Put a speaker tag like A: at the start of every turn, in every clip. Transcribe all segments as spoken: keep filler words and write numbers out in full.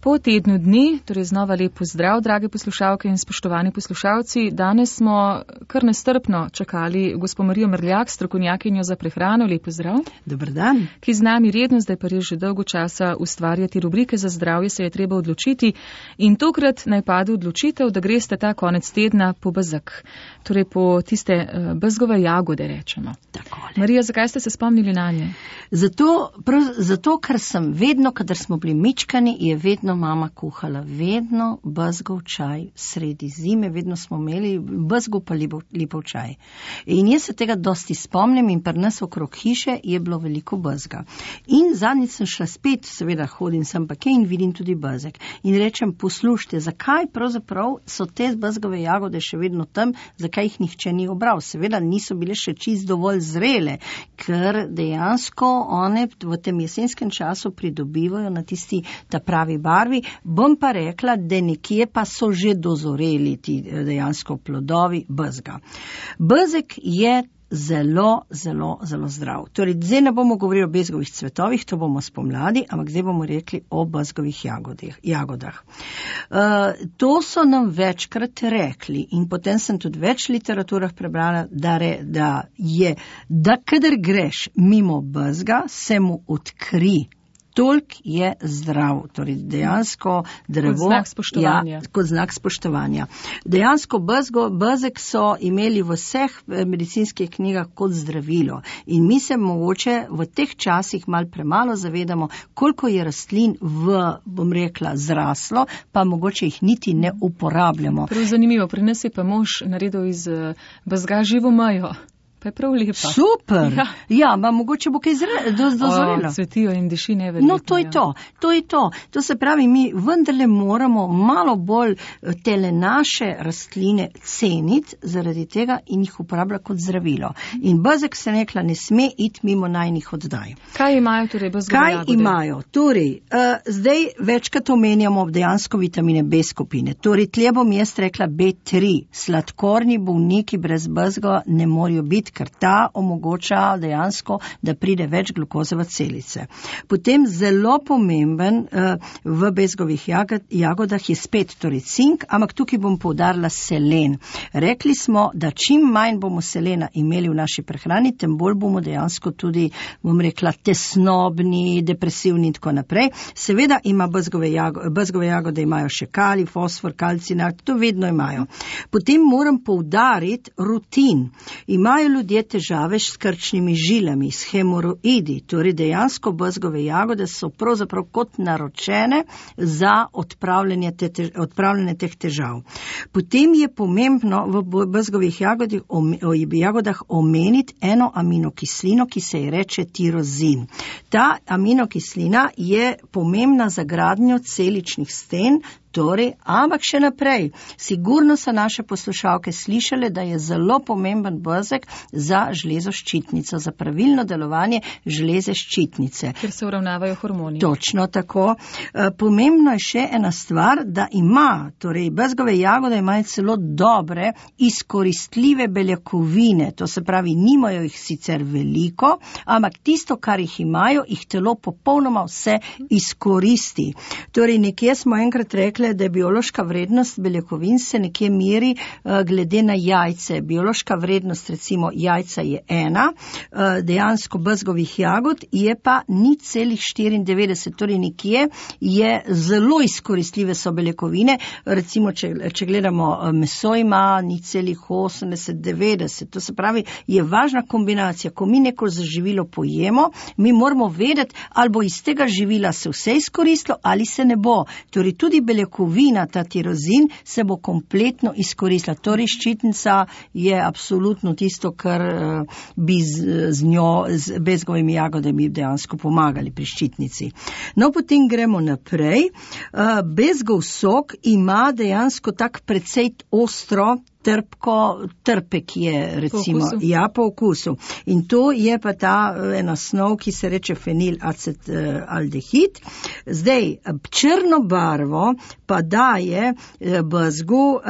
A: Po tednu dni, torej znova lep pozdrav, drage poslušalke in spoštovani poslušalci. Danes smo kar nestrpno čakali gospo Marijo Mrljak, strokovnjakinjo za prehrano. Lep pozdrav.
B: Dober dan.
A: Ki z nami redno, zdaj pa res že dolgo časa ustvarjati rubrike za zdravje, se je treba odločiti. In tokrat naj pade odločitev, da greste ta konec tedna po bezeg. Torej po tiste uh, bezgove jagode, rečemo.
B: Takole.
A: Marija, zakaj ste se spomnili na nje?
B: Zato, prav, zato, ker sem vedno, kadar smo bili mičkani, je vedno mama kuhala, vedno bezgov čaj sredi zime, vedno smo imeli bezgov pa lipov čaj. In jaz se tega dosti spomnim in pri nas okrog hiše je bilo veliko bezga. In zadnjič sem šla spet, seveda hodim sem pa kje in vidim tudi bezeg. In rečem, poslušajte, zakaj pravzaprav so te bezgove jagode še vedno tam, zakaj jih nihče ni obral? Seveda niso bile še čist dovolj zrele, ker dejansko one v tem jesenskem času pridobivajo na tisti ta pravi barvi. Bom pa rekla, da nekje pa so že dozoreli ti dejansko plodovi bezga. Bezeg je zelo, zelo, zelo zdrav. Torej, zdaj ne bomo govorili o bezgovih cvetovih, to bomo spomladi, ampak zdaj bomo rekli o bezgovih jagodah. Uh, to so nam večkrat rekli in potem sem tudi več literaturah prebrala, da, re, da je, da kadar greš mimo bezga, se mu odkri. Toliko je zdrav, torej dejansko drevo.
A: Kot znak spoštovanja.
B: Ja, kot znak spoštovanja. Dejansko bezgo, bezeg so imeli v vseh medicinskih knjigah kot zdravilo in mi se mogoče v teh časih mal premalo zavedamo, koliko je rastlin v, bom rekla, zraslo, pa mogoče jih niti ne uporabljamo.
A: Prav zanimivo, pri nas je pa mož naredil iz bezga živo majo. Pa je prav lepa.
B: Super. Ja, ja ma mogoče bo kaj dozorelo.
A: O, cvetijo in diši neverjetno.
B: No, to je to, to je to. To se pravi, mi vendarle moramo malo bolj tele naše rastline ceniti zaradi tega in jih uporabljati kot zdravilo. In bezeg se nekla ne sme iti mimo najnih oddaj.
A: Kaj imajo torej bezgove jagode?
B: Kaj imajo? Torej, uh, zdaj večkrat omenjamo dejansko vitamine B skupine. Torej, tle bom jaz rekla B tri. Sladkorni bolniki brez bezga ne morajo biti, ker ta omogoča dejansko, da pride več glukoze v celice. Potem zelo pomemben uh, v bezgovih jagod, jagodah je spet torej cink, ampak tukaj bom poudarila selen. Rekli smo, da čim manj bomo selena imeli v naši prehrani, tem bolj bomo dejansko tudi, bom rekla, tesnobni, depresivni in tako naprej. Seveda ima bezgove jagode, bezgove jagode imajo še kalij, fosfor, kalcinat, to vedno imajo. Potem moram poudariti rutin. Imajo ljudje težave s krčnimi žilami, s hemoroidi, torej dejansko bezgove jagode so pravzaprav kot naročene za odpravljanje, te, odpravljanje teh težav. Potem je pomembno v bezgovih jagodih, jagodah omeniti eno aminokislino, ki se je reče tirozin. Ta aminokislina je pomembna za gradnjo celičnih sten, torej, ampak še naprej. Sigurno so naše poslušalke slišale, da je zelo pomemben bezeg za železo ščitnico, za pravilno delovanje železe ščitnice.
A: Ker se uravnavajo hormoni.
B: Točno tako. Pomembno je še ena stvar, da ima, torej bezgove jagode imajo celo dobre, izkoristljive beljakovine, to se pravi, nimajo jih sicer veliko, ampak tisto, kar jih imajo, jih telo popolnoma vse izkoristi. Torej, nekje smo enkrat rekli, da je biološka vrednost beljakovin se nekje meri uh, glede na jajce. Biološka vrednost, recimo, jajca je ena, uh, dejansko bezgovih jagod je pa nič celih štiriindevetdeset, torej nekje je zelo izkoristljive so beljakovine, recimo, če, če gledamo meso ima nič celih osemdeset, devetdeset, to se pravi, je važna kombinacija. Ko mi neko živilo pojemo, mi moramo vedeti, ali bo iz tega živila se vse izkoristilo, ali se ne bo. Torej, tudi beljakovina Kovina, ta tirozin, se bo kompletno izkoristila. Torej, ščitnica je absolutno tisto, kar uh, bi z, z njo, z bezgovimi jagodami dejansko pomagali pri ščitnici. No, potem gremo naprej. Uh, bezgov sok ima dejansko tak precej ostro trpko, trpek je recimo,
A: po okusu.
B: Ja, po okusu. In to je pa ta ena snov, ki se reče fenilacetaldehid. Zdaj, črno barvo pa daje bezgu uh,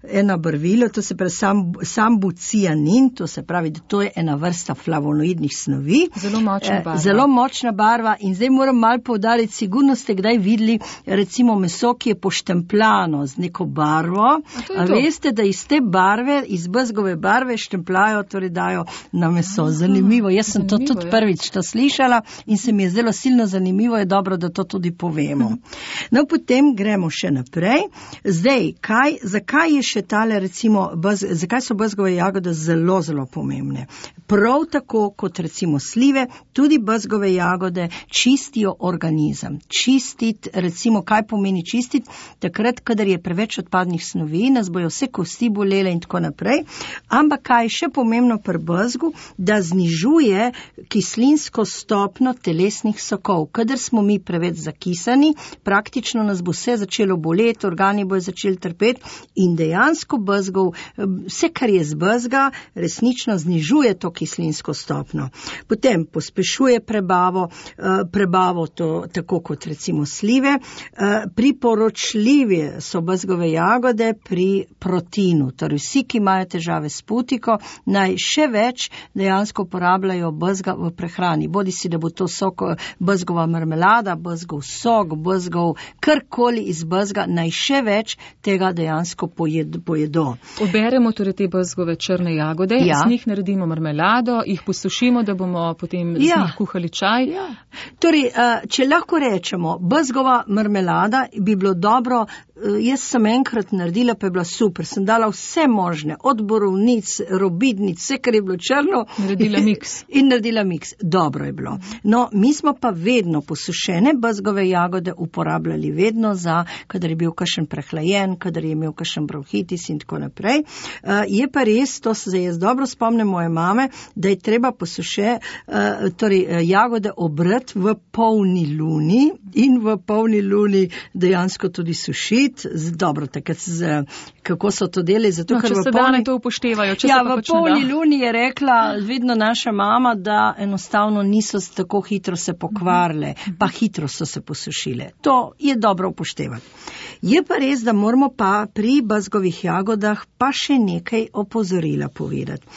B: ena barvilo, to se pravi sam, sambucianin, to se pravi, da to je ena vrsta flavonoidnih snovi.
A: Zelo močna barva.
B: Zelo močna barva in zdaj moram malo poudariti, sigurno ste kdaj videli recimo meso, ki je poštempljano z neko barvo.
A: A,
B: A veste, da iz te barve, iz bezgove barve štempljajo, torej dajo na meso. Zanimivo. Jaz sem
A: zanimivo,
B: to tudi
A: ja.
B: prvič to slišala in se mi je zelo silno zanimivo, je dobro, da to tudi povemo. No, potem gremo še naprej. Zdaj, kaj, zakaj je še tale recimo, bez, zakaj so bezgove jagode zelo, zelo pomembne? Prav tako kot recimo slive, tudi bezgove jagode čistijo organizem. Čistiti, recimo, kaj pomeni čistiti? Takrat, kadar je preveč odpadnih snovi, nas bojo vse kosti bolele in tako naprej. Ampak kaj je še pomembno pri bezgu, da znižuje kislinsko stopno telesnih sokov. Kadar smo mi preveč zakisani, praktično nas bo vse začelo boleti, organi bojo začeli trpeti in dejansko bezgov, vse, kar je z bezga, resnično znižuje to kislinsko stopno. Potem pospešuje prebavo, prebavo to, tako kot recimo slive. Priporočljive so bezgove jagode pri proteinu, torej vsi, ki imajo težave s putiko, naj še več dejansko uporabljajo bezga v prehrani. Bodi si, da bo to sok, bezgova marmelada, bezgov sok, bezgov karkoli iz bezga, naj še več tega dejansko pojed, pojedo.
A: Oberemo torej te bezgove črne jagode,
B: Ja.
A: z njih naredimo marmelado, jih posušimo, da bomo potem z
B: Ja.
A: njih kuhali čaj.
B: Ja. Torej, če lahko rečemo, bezgova marmelada bi bilo dobro, jaz sem enkrat naredila, pa je bila super, sem dala vse možne, od borovnic, robidnic, vse, kar je bilo črno.
A: Naredila miks.
B: In naredila miks. Dobro je bilo. No, mi smo pa vedno posušene bezgove jagode uporabljali vedno za, kadar je bil kakšen prehlajen, kadar je imel kakšen bronhitis in tako naprej. Uh, je pa res, to se jaz dobro spomnim moje mame, da je treba posuše, uh, torej uh, jagode obrati v polni luni in v polni luni dejansko tudi sušiti. Z, dobro, takrat z, kako so to delali, zato
A: No,
B: ker
A: če
B: v
A: se
B: polni,
A: dane to upoštevajo, če
B: ja,
A: se pa
B: v
A: pač ne
B: polni
A: da.
B: luni je rekla vedno naša mama, da enostavno niso tako hitro se pokvarile, pa hitro so se posušile. To je dobro upoštevati. Je pa res, da moramo pa pri bezgovih jagodah pa še nekaj opozorila povedati.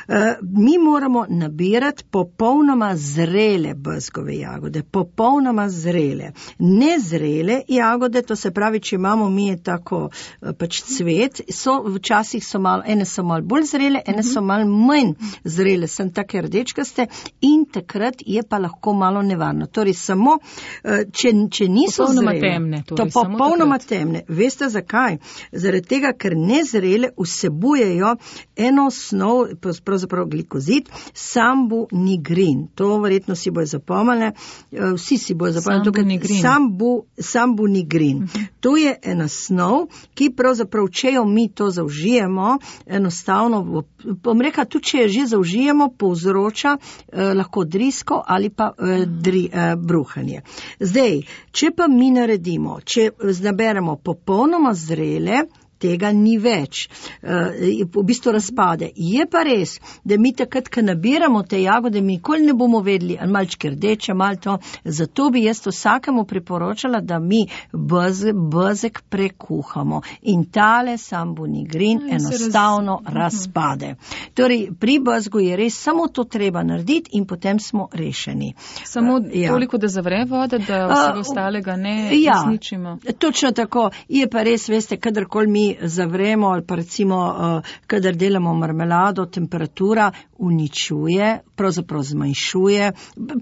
B: E, mi moramo nabirati popolnoma zrele bezgove jagode, popolnoma zrele. Nezrele jagode, to se pravi, če imamo mi je tako pač cvet, so včasih so malo, ene so malo bolj zrele, ene so malo manj zrele, sem take rdečkaste in takrat je pa lahko malo nevarno. Torej samo, če, če niso
A: popolnoma
B: zrele,
A: temne, torej,
B: to
A: samo
B: popolnoma
A: takrat.
B: temne. Veste zakaj? Zaradi tega, ker nezrele vsebujejo eno snov, pravzaprav glikozid, sambunigrin. To verjetno si bojo zapomnili, vsi si bojo zapomnili.
A: Sambunigrin.
B: Sambu, sambunigrin. Uh-huh. To je ena snov, ki pravzaprav, če jo mi to zaužijemo, enostavno, bom rekla, tudi če jo že zaužijemo, povzroča eh, lahko drisko ali pa eh, dri, eh, bruhanje. Zdaj, če pa mi naredimo, če naberemo popolnoma zrele, tega ni več, v bistvu razpade. Je pa res, da mi takrat, ko nabiramo te jagode, mi nikoli ne bomo vedeli, ali malčke rdeče, malo to, zato bi jaz vsakemu priporočala, da mi bez, bezek prekuhamo in tale sambunigrin
A: Ja, se
B: enostavno
A: raz-
B: razpade. Torej, pri bezgu je res samo to treba narediti in potem smo rešeni.
A: Samo
B: Ja.
A: toliko, da zavre voda, da
B: A,
A: vsega ostalega ne
B: ja,
A: izničimo.
B: Točno tako. Je pa res, veste, kadarkoli mi zavremo ali pa recimo, uh, kadar delamo marmelado, temperatura uničuje, pravzaprav zmanjšuje,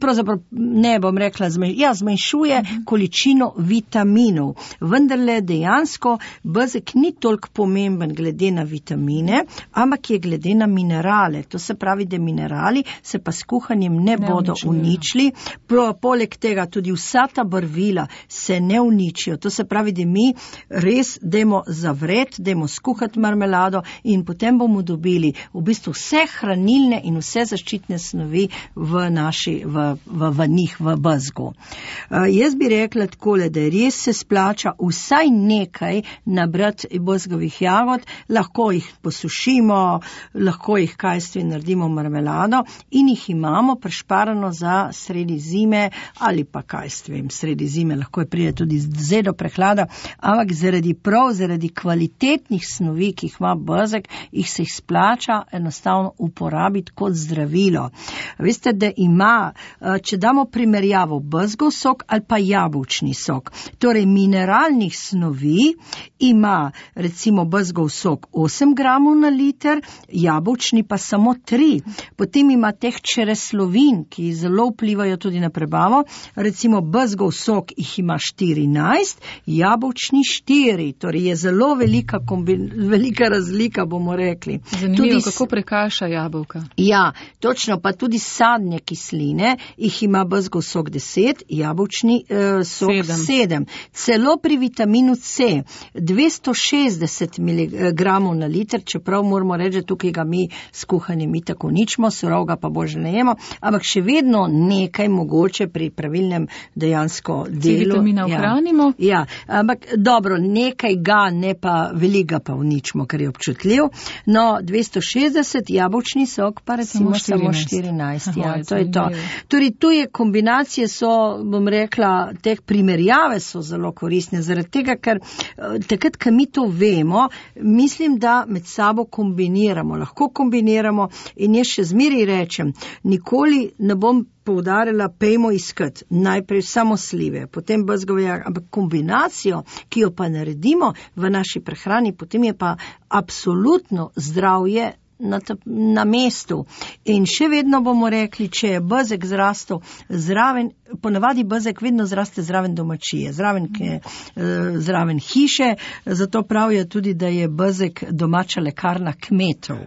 B: pravzaprav ne bom rekla, zmanj, ja, zmanjšuje uh-huh. količino vitaminov. Vendarle dejansko bezek ni toliko pomemben glede na vitamine, ampak je glede na minerale. To se pravi, da minerali se pa s kuhanjem ne,
A: Ne
B: bodo
A: uničujejo.
B: uničili. Pro, poleg tega tudi vsa ta barvila se ne uničijo. To se pravi, da mi res dajmo zavreti nared, dajmo skuhati marmelado in potem bomo dobili v bistvu vse hranilne in vse zaščitne snovi v naši, v, v, v njih, v bezgu. Uh, jaz bi rekla takole, da res se splača vsaj nekaj nabrati bezgovih jagod, lahko jih posušimo, lahko jih kajstvi naredimo marmelado in jih imamo prešparano za sredi zime ali pa kajstvim sredi zime, lahko je pride tudi zdaj do prehlada, ampak zaradi prav, zaradi kvalitetnih snovi, ki jih ima bezeg, jih se jih splača enostavno uporabiti kot zdravilo. Veste, da ima, če damo primerjavo bezgov sok ali pa jabolčni sok, torej mineralnih snovi ima recimo bezgov sok osem gramov na liter, jabolčni pa samo tri. Potem ima teh čreslovin, ki zelo vplivajo tudi na prebavo, recimo bezgov sok jih ima štirinajst, jabolčni štiri, torej je zelo velika, kombin, velika razlika, bomo rekli.
A: Zanimivo, tudi, kako prekaša jabolka.
B: Ja, točno, pa tudi sadne kisline, jih ima bezgov sok deset, jabolčni eh, sok sedem. Celo pri vitaminu C dvesto šestdeset miligramov na liter, čeprav moramo reči, tukaj ga mi skuhani mi tako ničmo, surov ga pa bože ne jemo, ampak še vedno nekaj mogoče pri pravilnem dejansko delu.
A: C vitamina ohranimo?
B: Ja, ja, ampak dobro, nekaj ga, ne pa veliko pa uničimo, ker je občutljiv. No, dvesto šestdeset, jabolčni sok pa recimo samo štirinajst. Ja, to je to. Torej, tu je kombinacije so, bom rekla, teh primerjave so zelo koristne, zaradi tega, ker takrat, ko mi to vemo, mislim, da med sabo kombiniramo, lahko kombiniramo in jaz še zmeri rečem, nikoli ne bom poudarila, pejmo iskati najprej samo slive, potem bezgove jagode, ampak kombinacijo, ki jo pa naredimo v naši prehrani, potem je pa absolutno zdravje na, na mestu. In še vedno bomo rekli, če je bezeg zrastel zraven, ponavadi bezeg vedno zraste zraven domačije, zraven, ke, zraven hiše, zato pravijo tudi, da je bezeg domača lekarna kmetov.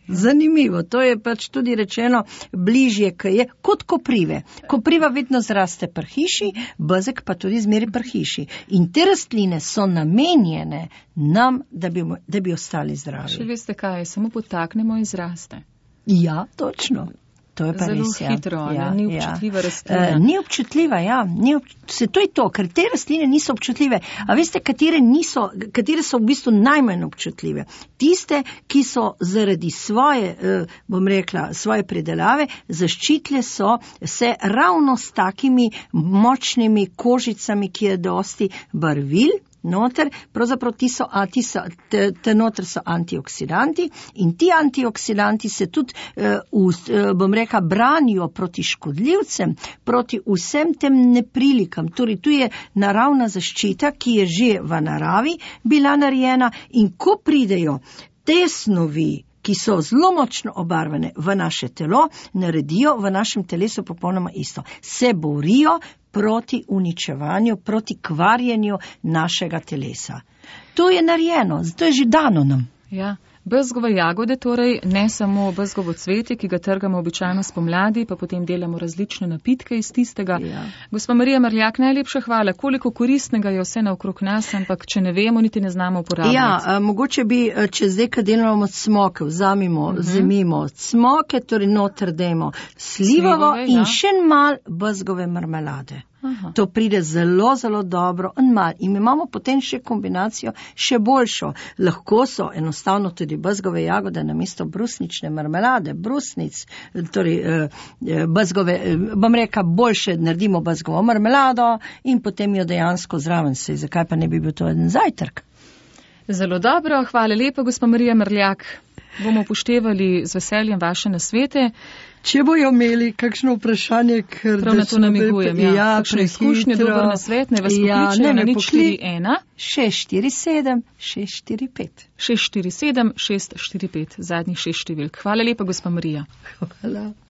B: Zanimivo, to je pač tudi rečeno bližje, k je, kot koprive. Kopriva vedno zraste pri hiši, bezeg pa tudi zmeri pri hiši. In te rastline so namenjene nam, da bi, da bi ostali zdravi.
A: Še veste kaj, samo potaknemo in zraste.
B: Ja, točno. To je pa
A: zelo
B: res, ja.
A: hitro,
B: ja,
A: ni občutljiva
B: ja.
A: rastlina.
B: Uh, ni občutljiva, ja. Ni obč... Se to je to, ker te rastline niso občutljive. A veste, katere, niso, katere so v bistvu najmanj občutljive? Tiste, ki so zaradi svoje, uh, bom rekla, svoje predelave, zaščitile so se ravno s takimi močnimi kožicami, ki je dosti barvil. Noter, pravzaprav ti so, a, ti so, te, te noter so antioksidanti in ti antioksidanti se tudi, eh, v, eh, bom rekla, branijo proti škodljivcem, proti vsem tem neprilikam. Torej, tu je naravna zaščita, ki je že v naravi bila narejena in ko pridejo te snovi, ki so zelo močno obarvane v naše telo, naredijo v našem telesu popolnoma isto. Se borijo proti uničevanju, proti kvarjenju našega telesa. To je narejeno, to je že dano nam.
A: Ja. Bezgove jagode, torej ne samo bezgovo cvetje, ki ga trgamo običajno spomladi, pa potem delamo različne napitke iz tistega. Ja. Gospa Marija Mrljak, najlepša hvala. Koliko koristnega je vse naokrog nas, ampak če ne vemo, niti ne znamo uporabljati.
B: Ja, a, mogoče bi, če zdaj, kad delamo smoke, vzamimo, uh-huh. zemimo smoke, torej noter dajmo slivovo Slivove, in ja. še mal bezgove marmelade. Aha. To pride zelo, zelo dobro in mal. In imamo potem še kombinacijo še boljšo. Lahko so enostavno tudi bezgove jagode namesto brusnične marmelade, brusnic, torej bezgove, bom reka, boljše naredimo bezgovo marmelado in potem jo dejansko zraven se. Zakaj pa ne bi bil to en zajtrk?
A: Zelo dobro, hvala lepa, gospa Marija Mrljak. Bomo upoštevali z veseljem vaše nasvete.
B: Če bojo imeli kakšno vprašanje, ker
A: prav na to namigujem, ja. ja kakšne izkušnje, dober nasvet, ne vas ja, pokličejo na nič štiri ena. šest štiri sedem šest štiri pet. šest štiri sedem šest štiri pet, zadnjih šest številk. Hvala lepa, gospa Marija.
B: Hvala.